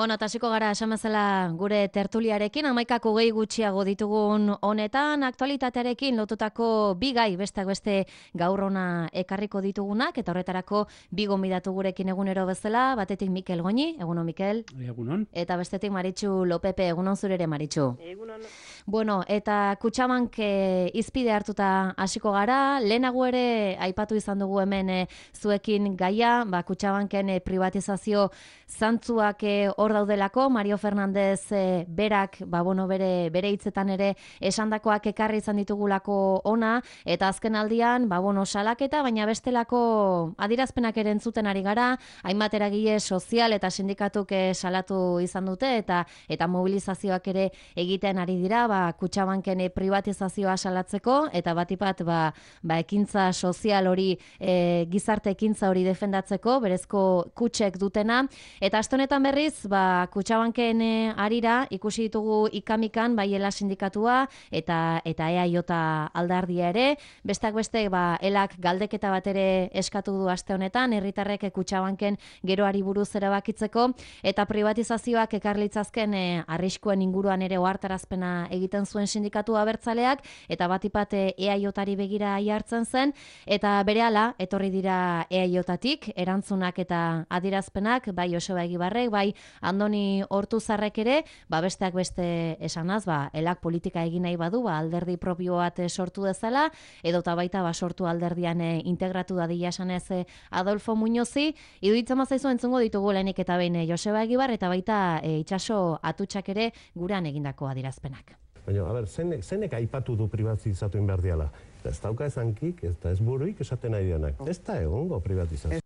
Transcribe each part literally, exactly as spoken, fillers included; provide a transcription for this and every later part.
Bueno, tasiko gara esamazela gure tertuliarekin, amaikak hogei gutxiago ditugun honetan, aktualitatearekin lotutako bi gai besteak beste gaur ona ekarriko ditugunak, eta horretarako bi gonbidatu gurekin egunero bezala, batetik Mikel Goñi, egunon Mikel. Egunon. Eta bestetik Maritxu Lopepe, egunon zurere Maritxu. Egunon. Bueno, eta Kutxabank e, izpide hartuta hasiko gara, lehenago ere aipatu izan dugu hemen e, zuekin gaia, ba, Kutxabanken e, privatizazio zantzuak e, hor daudelako, Mario Fernandez e, berak, ba, bueno, bere, bere hitzetan ere esandakoak ekarri izan ditugulako ona, eta azken aldian, ba, bueno, salaketa, baina bestelako adirazpenak ere entzuten ari gara, hainbat eragile sozial eta sindikatuk e, salatu izan dute, eta eta mobilizazioak ere egiten ari dira, ba, Kutxabanken privatizazioa salatzeko, eta batipat ba, ba, ekintza sozial hori, e, gizarte ekintza hori defendatzeko, berezko kutxek dutena, eta aste honetan berriz, ba, Kutxabanken e, arira, ikusi ditugu ikamikan, baiela sindikatua, eta eta E A J aldardia ere, besteak beste, ba, elak galdeketa bat ere eskatu du aste honetan, herritarrek Kutxabanken geroari buruz erabakitzeko, eta privatizazioak ekarlitzazken e, arriskuen inguruan ere ohartarazpena egiten zuen sindikatu abertzaleak, eta batipat E A Jari begira jartzen zen, eta berehala etorri dira E A Jatik erantzunak eta adirazpenak, bai Joseba Egibarrek, bai Andoni Ortuzarrek ere, ba besteak beste esanaz, ba elak politika egin nahi badu, ba alderdi propio bat sortu dezala, edota baita ba sortu alderdian e, integratu dadila esanez e, Adolfo Muñozi, iruditzen bazaizu entzungo ditugu lehenik eta behin e, Joseba Egibar, eta baita e, Itxaso Atutxak ere gurean egindako adirazpenak. Baina, a ber, zenek, zenek aipatu du privatizatu inberdiala? Ez dauka ezankik, ez da ez buruik esaten nahi dianak. Ez da egongo privatizazio.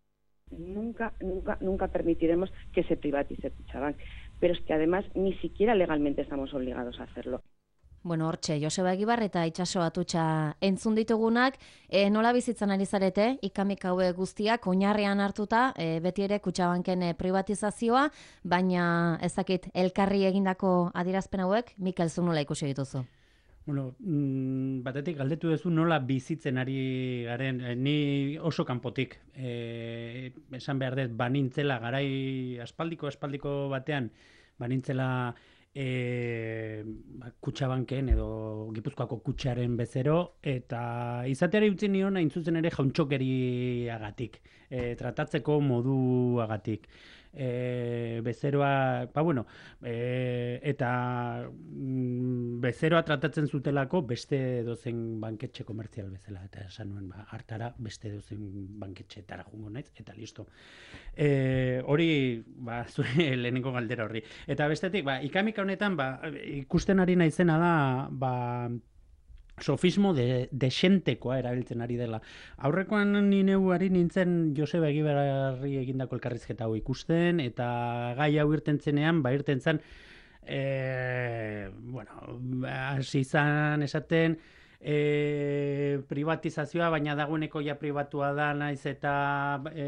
Nunca, nunca, nunca permitiremos que se privatice Kutxabank. Pero es que además ni siquiera legalmente estamos obligados a hacerlo. Bueno, hortxe, Joseba Egibar eta Itxaso Atutxa entzun ditugunak, e, nola bizitzan ari zarete, ikamik haue guztiak, oinarrean hartuta, e, beti ere Kutxabanken e, privatizazioa, baina ezakit elkarri egindako adirazpen hauek, Mikel, zu nola ikusi dituzu? Bueno, mm, batetik galdetu duzu nola bizitzen ari garen, e, ni oso kanpotik, e, esan behar dut, banintzela garai aspaldiko, aspaldiko batean, banintzela E, Kutxabanken edo Gipuzkoako kutxaren bezero, eta izateari utzi nion hain zuzen ere jauntxokeriagatik, e, tratatzeko moduagatik. E, bezeroa, ba bueno, e, eta mm, bezeroa tratatzen zutelako beste dozen banketxe komertzial bezala, eta esan nuen, ba, hartara beste dozen banketxeetara jungo naiz, eta listo. E, hori, ba, zure lehenengo galdera horri. Eta bestetik, ba, ikamika honetan, ba, ikusten ari naizena da, ba, sofismo de, desentekoa erabiltzen ari dela. Aurrekoan ni neu ari nintzen Joseba Egibarri egindako elkarrizketa hau ikusten, eta gai hau irten zenean, ba irten zen, e, bueno, hasi izan esaten, e, privatizazioa, baina dagoeneko ja pribatua da, naiz eta e,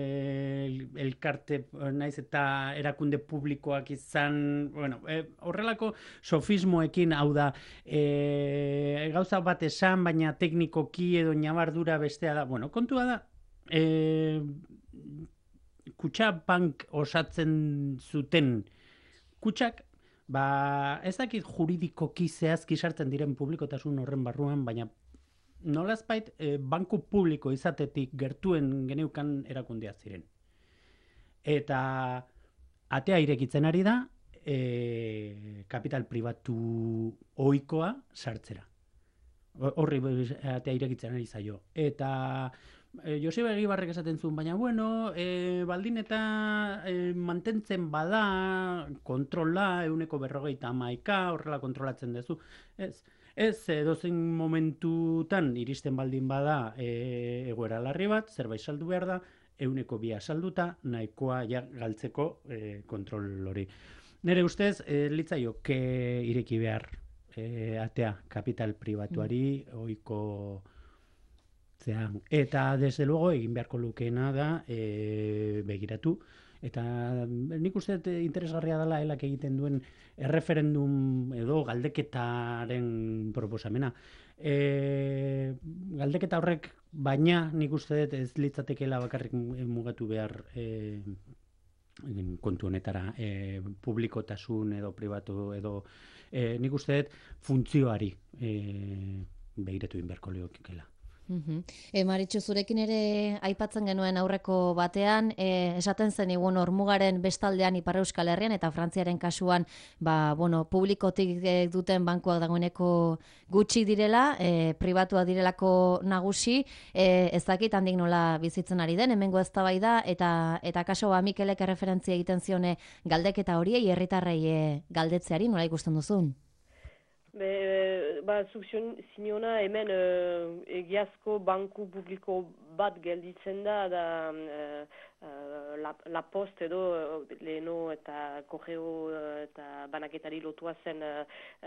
elkarte, naiz eta erakunde publikoak izan, bueno, e, horrelako sofismoekin, hau da, e, gauza bat esan, baina teknikoki edo ñabardura bestea da, bueno, kontua da, e, Kutxabank osatzen zuten kutxak, ba, ez dakit juridikoki zehazki sartzen diren publikotasun horren barruan, baina nolazbait e, banku publiko izatetik gertuen geneukan erakundea ziren. Eta atea irekitzen ari da, e, kapital pribatu ohikoa sartzera. Horri atea irekitzen ari zaio. Eta E, Joseba Egibarrek esaten zuen, baina bueno, e, baldin eta e, mantentzen bada kontrola, euneko berrogeita hamaika, horrela kontrolatzen duzu. Ez, ez edozein momentutan iristen baldin bada e, egoera larri bat, zerbait saldu behar da, euneko bia salduta, nahikoa ja galtzeko e, kontrol hori. Nere ustez, e, litzaioke ireki behar e, atea kapital pribatuari, ohiko zean. Eta, desde luego, egin beharko lukeena da e, begiratu. Eta nik uste interesgarria dela elak egiten duen erreferendum edo galdeketaren proposamena. E, galdeketa horrek, baina nik uste dut ez litzatekeela bakarrik mugatu behar e, kontu honetara e, publikotasun edo pribatu edo e, nik uste dut funtzioari e, behiratu inberko leokikela. Uh-huh. E, Maritxu, zurekin ere aipatzen genuen aurreko batean, e, esaten zen igun hormugaren bestaldean Ipar Euskal Herrian eta Frantziaren kasuan, ba, bueno, publikotik e, duten bankuak dagoeneko gutxi direla, e, pribatua direlako nagusi, e, ez dakit handik nola bizitzen ari den, hemengo eztabaida eta eta kaso ba Mikelek erreferentzia egiten zione galdeketa horiei herritarrei e, galdetzeari nola ikusten duzun? Be, ba, zuk ziniona hemen uh, egiazko banku publiko bat gelditzen da, da uh, uh, la, la Post edo uh, leheno eta korreo uh, eta banaketari lotua zen uh,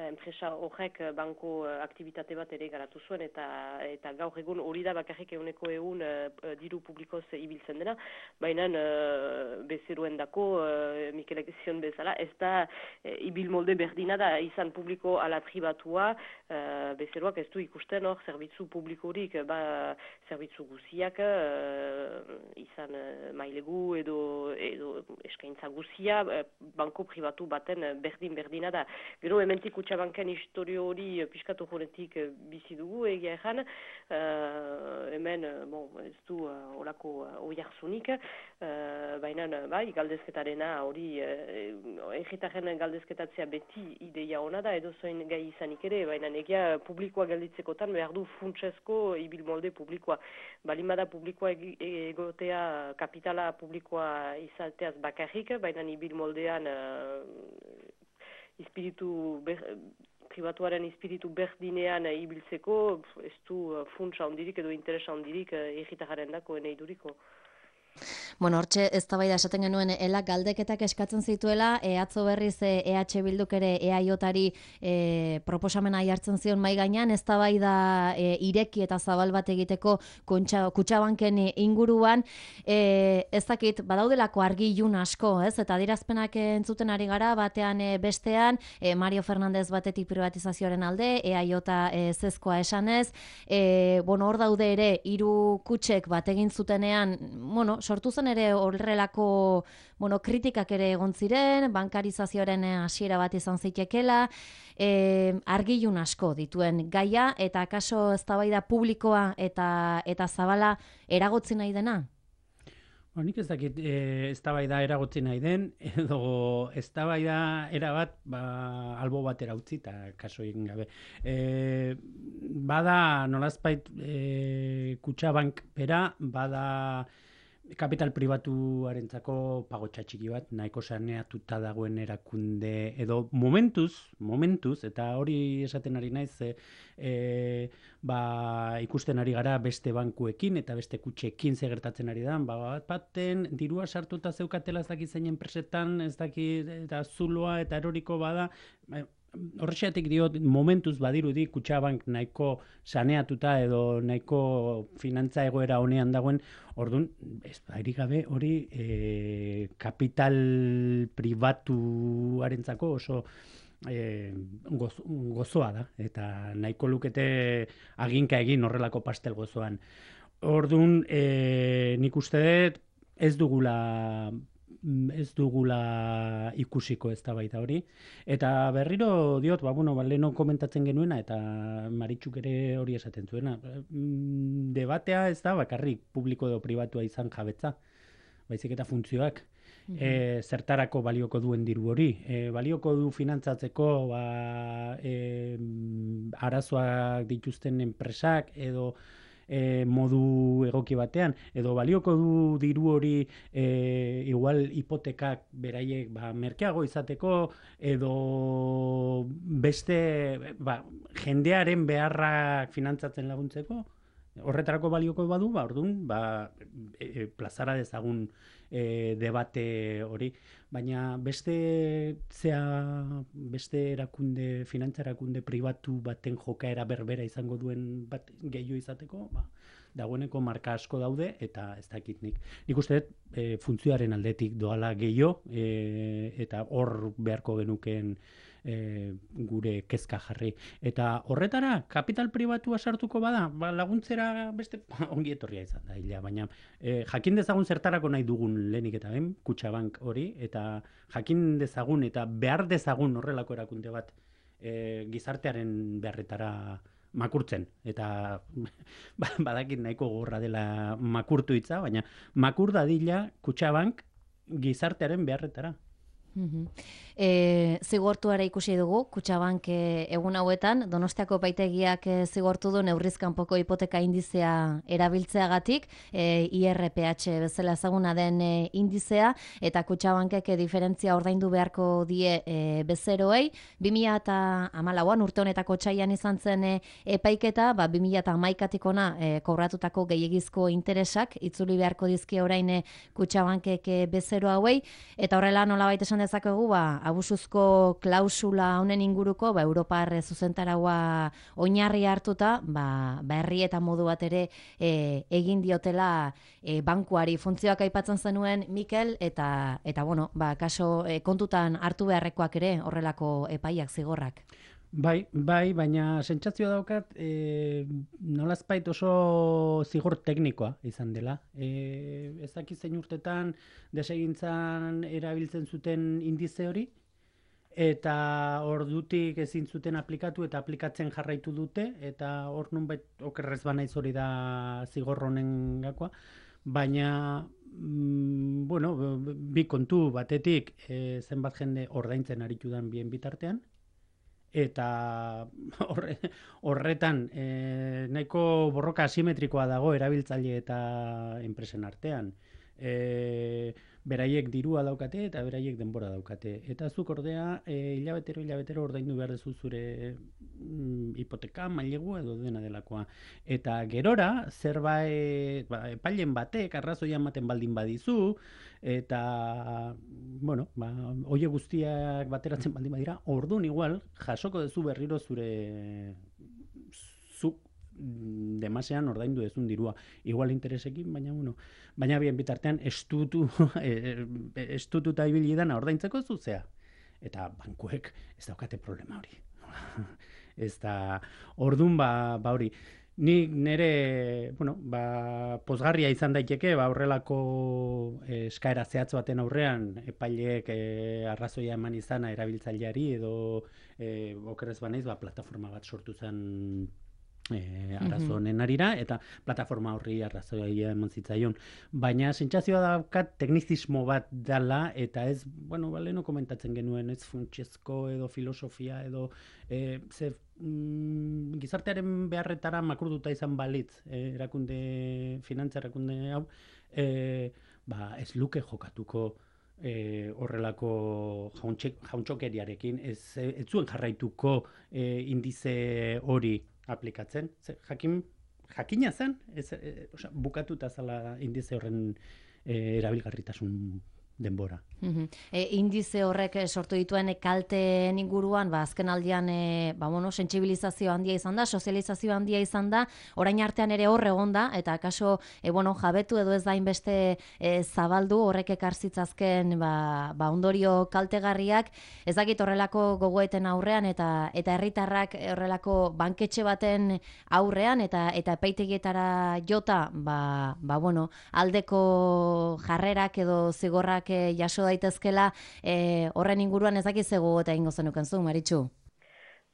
enpresa horrek banko uh, aktivitate bat ere garatu zuen, eta eta gaur egun hori da bakarrik eguneko egun uh, diru publikoz ibiltzen dena, baina uh, bezeruen dako, uh, Mikelek zion bezala, ez da uh, ibil molde berdina da, izan publiko ala pribatua, uh, bezeroak ez du ikusten hor, zerbitzu publikorik, ba, zerbitzu guziak, uh, izan uh, mailegu edo, edo eskaintza guzia, uh, banko pribatu baten berdin-berdina da. Gero hementik Kutxabanken historio hori piskatu joretik uh, bizi dugu egia erran, uh, hemen, uh, bon, ez du uh, olako uh, oiarzunik, uh, baina bai, galdezketarena hori, uh, erritaren galdezketatzea beti ideia ona da, edo zoin gai izanik ere, baina egia publikoa gelditzekotan behar du funtsezko ibil molde publikoa. Balimada publikoa egotea kapitala publikoa izateaz bakarrik, baina ibil moldean uh, espiritu ber, pribatuaren espiritu berdinean uh, ibiltzeko, ez du uh, funtsa ondirik edo interesa ondirik uh, erritararen dako eneiduriko. Bueno, hortxe eztabaida esaten genuen ela galdeketak eskatzen zituela, e, atzo berriz e, E H Bilduk ere E A Jari e, proposamena jartzen zion mai gainean, eztabaida e, ireki eta zabal bat egiteko Kutxabanken inguruan, e, ez dakit badaudelako argi ilun asko, ez? Eta adierazpenak entzuten ari gara batean e, bestean, e, Mario Fernandez batetik privatizazioaren alde, E A J e, zezkoa esanez, e, bueno, hor daude ere hiru kutxek bat egin zutenean, bueno, sortu zen ere horrelako, bueno, kritikak ere egon ziren, bankarizazioaren hasiera bat izan zitekela, e, argilun asko dituen gaia, eta akaso eztabaida publikoa eta eta zabala eragotzi nahi dena? Ba, nik ez dakit e, eztabaida eragotzi nahi den, edo eztabaida erabat ba, albo batera utzi eta kaso egin gabe. E, bada nolazpait e, Kutxabank bera, bada kapital pribatuarentzako pagotxa txiki bat, nahiko saneatuta dagoen erakunde, edo momentuz, momentuz, eta hori esaten ari naiz, e, e, ba, ikusten ari gara beste bankuekin eta beste kutxekin gertatzen ari da, ba, bat baten dirua sartuta zeukatela ez dakit zein enpresetan, ez dakit eta zuloa eta eroriko bada, ba, horrexeatik diot, momentuz badirudi Kutxabank nahiko saneatuta edo nahiko finantza egoera honean dagoen, orduan, ez bairi gabe hori e, kapital pribatuarentzako oso e, goz, gozoa da, eta nahiko lukete aginka egin horrelako pastel gozoan. Orduan, e, nik uste dut ez dugula ez dugula ikusiko eztabaida hori. Eta berriro diot, ba, bueno, ba, leheno komentatzen genuena, eta Maritxuk ere hori esaten zuena. Debatea ez da bakarrik publiko edo pribatua izan jabetza, baizik eta funtzioak. Mm-hmm. E, zertarako balioko duen diru hori. E, balioko du finantzatzeko ba, e, arazoak dituzten enpresak edo E, modu egoki batean, edo balioko du diru hori e, igual hipotekak beraiek ba, merkeago izateko, edo beste ba, jendearen beharrak finantzatzen laguntzeko, horretarako balioko badu, ba, orduan, ba, e, plazara dezagun e, debate hori, baina beste zea, beste erakunde, finantza erakunde pribatu baten jokaera berbera izango duen bat gehiago izateko, ba, dagoeneko marka asko daude, eta ez dakit nik. Nik uste dut, e, funtzioaren aldetik doala gehiago, e, eta hor beharko genukeen E, gure kezka jarri. Eta horretara, kapital pribatua sartuko bada, ba, laguntzera beste ongi etorria izan da, ila, baina e, jakin dezagun zertarako nahi dugun lehenik eta ben, Kutxabank hori, eta jakin dezagun eta behar dezagun horrelako erakunde bat e, gizartearen beharretara makurtzen. Eta badakit nahiko gorra dela makurtu hitza, baina makur dadila Kutxabank gizartearen beharretara. Mm-hmm. E, zigortuara ikusi dugu, Kutxabank e, egun hauetan, Donostiako epaitegiak e, zigortu du neurrizkanpoko hipoteka indizea erabiltzeagatik, e, I R P H bezala ezaguna den e, indizea, eta Kutxabankek e, diferentzia ordaindu beharko die e, bezeroei, bi mila hamalauan urte honetako otsailean izan zen e, epaiketa, ba, bi mila hamaikatik ona e, kobratutako gehiegizko interesak itzuli beharko dizkie orain e, Kutxabankek e, bezero hauei, eta horrela nolabait esan dezakegu, ba, abusuzko klausula honen inguruko, ba, Europar zuzentaraua oinarri hartuta, ba, ba herri eta modu bat ere e, egin diotela e, bankuari. Funtzioak aipatzen zenuen Mikel, eta, eta bueno, ba, kaso e, kontutan hartu beharrekoak ere horrelako epaiak zigorrak. Bai, bai, baina sentsazioa daukat, e, nolazpait oso zigor teknikoa izan dela. E, ez dakit zein urtetan desegintzan erabiltzen zuten indize hori, eta ordutik ezin zuten aplikatu eta aplikatzen jarraitu dute, eta hor nunbait okerrez banaiz hori da zigor honen gakoa, baina mm, bueno, bi kontu batetik e, zenbat jende ordaintzen aritu dan bien bitartean, eta horre, horretan e, nahiko borroka asimetrikoa dago erabiltzaile eta enpresen artean. E, beraiek dirua daukate eta beraiek denbora daukate. Eta zuk ordea e, hilabetero hilabetero ordaindu behar dezu zure mm, hipoteka, mailegu edo dena delakoa. Eta gerora zerbait ba, epailen batek arrazoia ematen baldin badizu, eta bueno, ba, oie guztiak bateratzen baldin badira, orduan igual jasoko duzu berriro zure zuk demasean ordaindu dezun dirua. Igual interesekin, baina bueno, baina bien bitartean estutu estututa ibili dana ordaintzeko zuzea. Eta bankuek ez daukate problema hori. Ez da, orduan ba, ba hori. Ni nere, bueno, ba, pozgarria izan daiteke, ba, horrelako eh, eskaera zehatz baten aurrean, epaileek eh, arrazoia eman izana erabiltzaileari edo eh, okerrez banaiz, ba, plataforma bat sortu zen E, arazo honen arira, eta plataforma horri arrazoia eman zitzaion. Baina sentsazioa daukat teknizismo bat dala, eta ez, bueno, baleno komentatzen genuen, ez funtsezko edo filosofia edo e, ze, mm, gizartearen beharretara makurduta izan balitz, e, erakunde, finantza erakunde hau, e, ba, ez luke jokatuko E, horrelako jauntxokeriarekin, ez, ez zuen jarraituko e, indize hori aplikatzen. Jakin, jakina zen, ez, e, oza, bukatuta zala indize horren e, erabilgarritasun denbora. Mm-hmm. E, indize horrek sortu dituen kalteen inguruan, ba, azken aldian e, ba, bueno, sentsibilizazio handia izan da, sozializazio handia izan da, orain artean ere hor egon da, eta kaso e, bueno, jabetu edo ez da inbeste e, zabaldu horrek ekartzitzazken ba, ba, ondorio kaltegarriak, ez dakit horrelako gogoeten aurrean, eta eta herritarrak horrelako banketxe baten aurrean, eta eta epaitegietara jota, ba, ba, bueno, aldeko jarrerak edo zigorrak jaso daitezkela, e, horren inguruan ez dakiz egu eta ingo zenuken zu, Maritxu?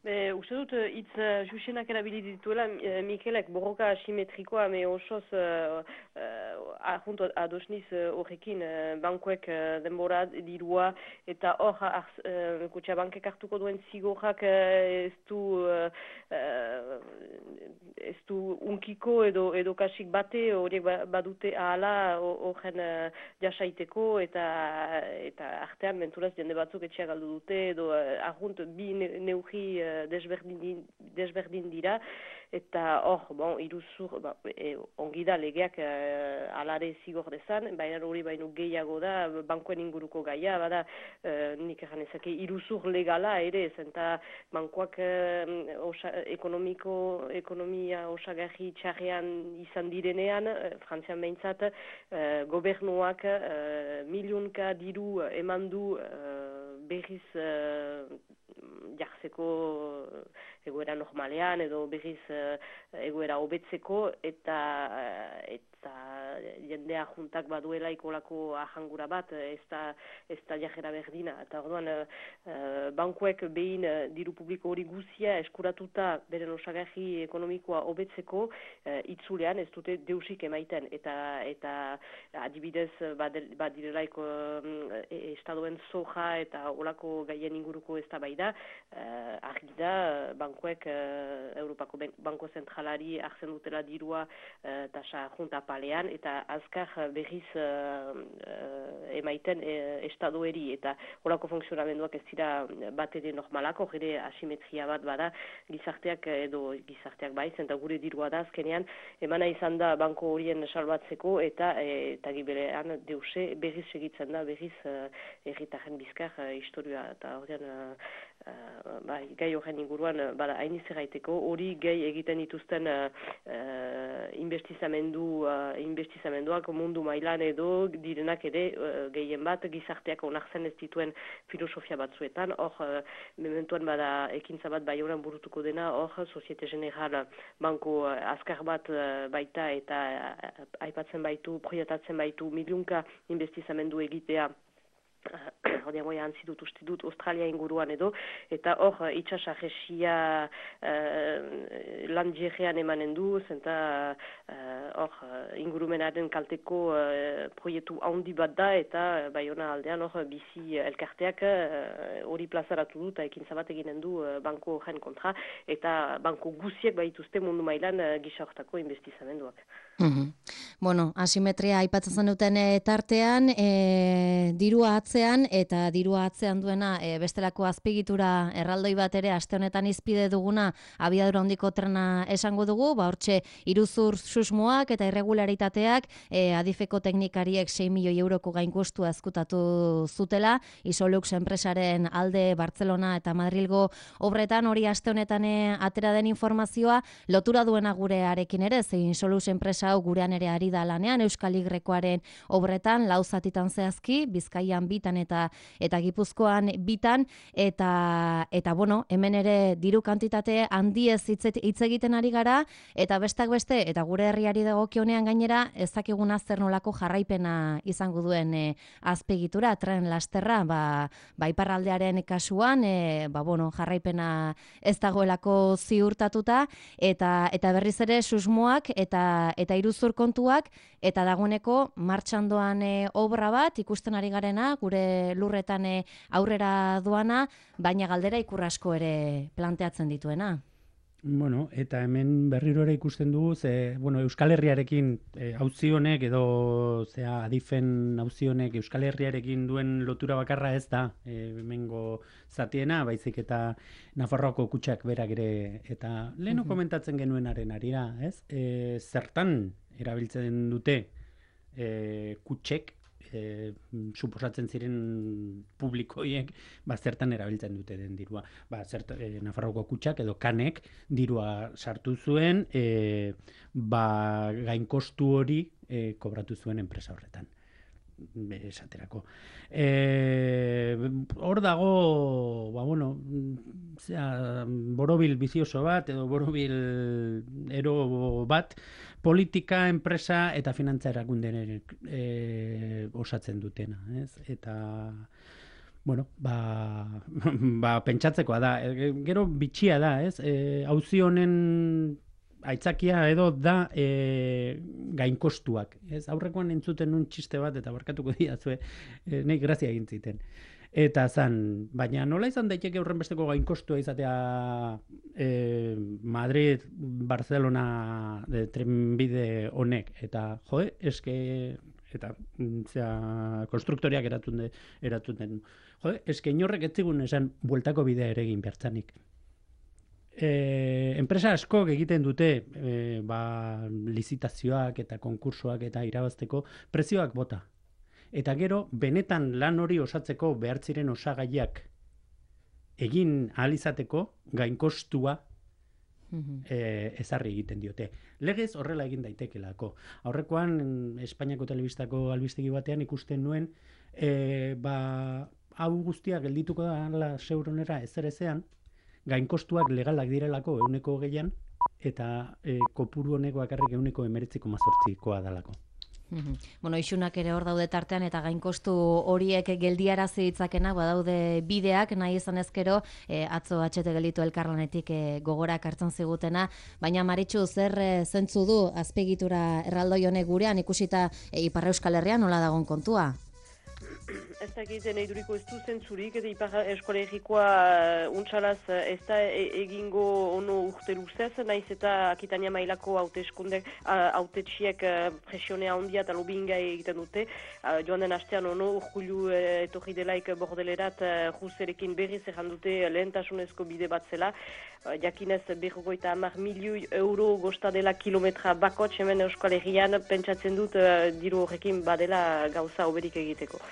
Be, uste dut, hitz uh, jusenak erabili dituela, uh, Mikelek borroka asimetrikoa, me osoz uh, uh, ahuntu adosniz horrekin, uh, bankuek uh, denbora dirua, eta hor uh, Kutxabankek hartuko duen zigorrak uh, ez du uh, uh, ez du unkiko edo, edo kasik bate, horiek badute ahala horren uh, jasaiteko, eta eta artean menturaz jende batzuk etxea galdu dute, edo uh, ahunt bi ne, neugi uh, desberdin, desberdin dira, eta hor, bon, iruzur, ba, e, ongi da legeak e, alare zigor dezan, baina hori baino gehiago da, bankuen inguruko gaia, bada, e, nik egan ezake, iruzur legala ere, zenta bankoak e, osa, ekonomiko, ekonomia osagarri txarrean izan direnean, e, Frantzian behintzat, e, gobernuak e, milionka diru eman du e, berriz e, jartzeko egoera normalean edo berriz uh, egoera hobetzeko eta uh, eta jendea juntak baduela ikolako ahangura bat ez da, ez da jajera berdina. Eta orduan uh, bankuek behin uh, diru publiko hori guzia eskuratuta beren osagarri ekonomikoa hobetzeko uh, itzulean ez dute deusik emaiten eta eta adibidez badirelaiko um, estadoen soja eta olako gaien inguruko ez da bai da uh, argi da bankuek uh, Europako Banko Zentralari hartzen dutela dirua uh, tasa junta palean eta azkar berriz uh, uh, emaiten uh, estadoeri eta horako funtzionamenduak ez dira bat ere normalako, ere asimetria bat bada gizarteak edo gizarteak baiz, eta gure dirua da azkenean emana izan da banko horien salbatzeko eta eta giberean deuse berriz segitzen da berriz uh, erritaren bizkar uh, historia eta horrean uh, Uh, bai, gai horren inguruan uh, bada hain izerraiteko, hori gai egiten dituzten uh, uh, investizamendu, uh, investizamenduak mundu mailan edo direnak ere uh, gehien bat gizarteak onartzen ez dituen filosofia batzuetan, hor uh, mementuan bada ekintza bat bai horan burutuko dena, hor Societe General banko uh, azkar bat uh, baita eta uh, aipatzen baitu, proiektatzen baitu milionka investizamendu egitea hori amoia antzi dut uste dut Australia inguruan edo, eta hor itxasarresia uh, landjerean emanen du, zenta hor uh, ingurumenaren kalteko uh, proiektu handi bat da, eta uh, Baiona aldean hor bizi elkarteak hori uh, plazaratu du, eta ekintza bat eginen du uh, banko horren kontra, eta banko guziek baituzte mundu mailan uh, gisa hortako investizamenduak. Mm-hmm. Bueno, asimetria aipatzen zen duten e, tartean, e, dirua atzean eta dirua atzean duena e, bestelako azpigitura erraldoi bat ere aste honetan izpide duguna abiadura handiko trena esango dugu, ba hortxe iruzur susmoak eta irregularitateak e, adifeko teknikariek sei milioi euroko gainkostu ezkutatu zutela, Isolux enpresaren alde Bartzelona eta Madrilgo obretan hori aste honetan e, atera den informazioa lotura duena gurearekin ere, zein Isolux enpresa hau gurean ere ari da lanean Euskal Igrekoaren obretan lau zatitan zehazki, Bizkaian bitan eta eta Gipuzkoan bitan eta eta bueno, hemen ere diru kantitate handiez hitz egiten ari gara eta bestak beste eta gure herriari dagokionean gainera ez dakiguna zer nolako jarraipena izango duen e, azpiegitura tren lasterra, ba, ba iparraldearen kasuan e, ba bueno, jarraipena ez dagoelako ziurtatuta eta eta berriz ere susmoak eta eta iruzur kontuak, eta dagoeneko martxan doan e, obra bat, ikusten ari garena, gure lurretan e, aurrera doana, baina galdera ikurrasko ere planteatzen dituena. Bueno, eta hemen berriro ere ikusten dugu, ze, bueno, Euskal Herriarekin e, auzi honek edo zea adifen auzi honek Euskal Herriarekin duen lotura bakarra ez da, e, hemengo zatiena, baizik eta Nafarroako kutxak berak ere, eta leheno mm-hmm. komentatzen genuenaren arira, ez? E, zertan erabiltzen dute e, kutxek, E, suposatzen ziren publikoiek ba, zertan erabiltzen dute den dirua. Ba, zert, e, Nafarroko kutxak edo kanek dirua sartu zuen e, ba, gainkostu hori e, kobratu zuen enpresa horretan. Esaterako. E, hor dago, ba, bueno, zera, borobil bizioso bat edo borobil ero bat politika, enpresa eta finantza erakundean e, osatzen dutena, ez? Eta bueno, ba, ba pentsatzekoa da. E, gero bitxia da, ez? E, auzi honen aitzakia edo da e, gainkostuak. Ez? Aurrekoan entzuten un txiste bat eta barkatuko diazue, e, nahi grazia egin ziten. Eta zan, baina nola izan daiteke horren besteko gainkostua izatea e, Madrid, Barcelona de, trenbide honek. Eta, joe, eske, eta, zera, konstruktoriak eratun, de, eratun den. Joe, eske inorrek ez zigun esan bueltako bidea ere egin bertzanik. E, enpresa askok egiten dute e, ba, lizitazioak eta konkursoak eta irabazteko prezioak bota. Eta gero, benetan lan hori osatzeko behar ziren osagaiak egin ahal izateko gainkostua e, ezarri egiten diote. Legez horrela egin daitekelako. Aurrekoan, Espainiako telebistako albistegi batean ikusten nuen, e, ba, hau guztia geldituko da seuronera ezer ezean, gainkostuak legalak direlako euneko hogeian, eta e, kopuru honeko bakarrik euneko emeretziko mazortzikoa dalako. Bueno, isunak ere hor daude tartean eta gainkostu horiek geldiarazi ditzakenak badaude bideak, nahi izan ezkero, e, atzo atxete gelditu elkarlanetik e, gogorak hartzen zigutena, baina Maritxu, zer e, zentzu du azpiegitura erraldoi honek gurean ikusita e, Ipar Euskal Herrian nola dagon kontua? Ez da egiten eiduriko ez du zentzurik, eta Ipar Euskal Herrikoa untxalaz ez da egingo ono urte luzez, naiz eta Akitania mailako hauteskundek, hautetxiek presionea handia eta lobinga egiten dute. Joan den astean ono urkulu etorri delaik bordelerat Ruserekin berriz erran dute lehentasunezko bide bat zela. Jakinez berrogoita hamar milioi euro gosta dela kilometra bakots hemen Euskal Herrian, pentsatzen dut diru horrekin badela gauza oberik egiteko.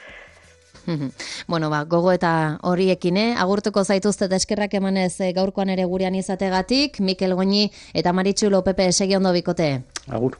Bueno, ba, gogo eta horiekin, eh? Agurtuko zaituzte eskerrak emanez gaurkoan ere gurean izategatik, Mikel Goñi eta Maritxu Lopepe segi ondo bikote. Agur.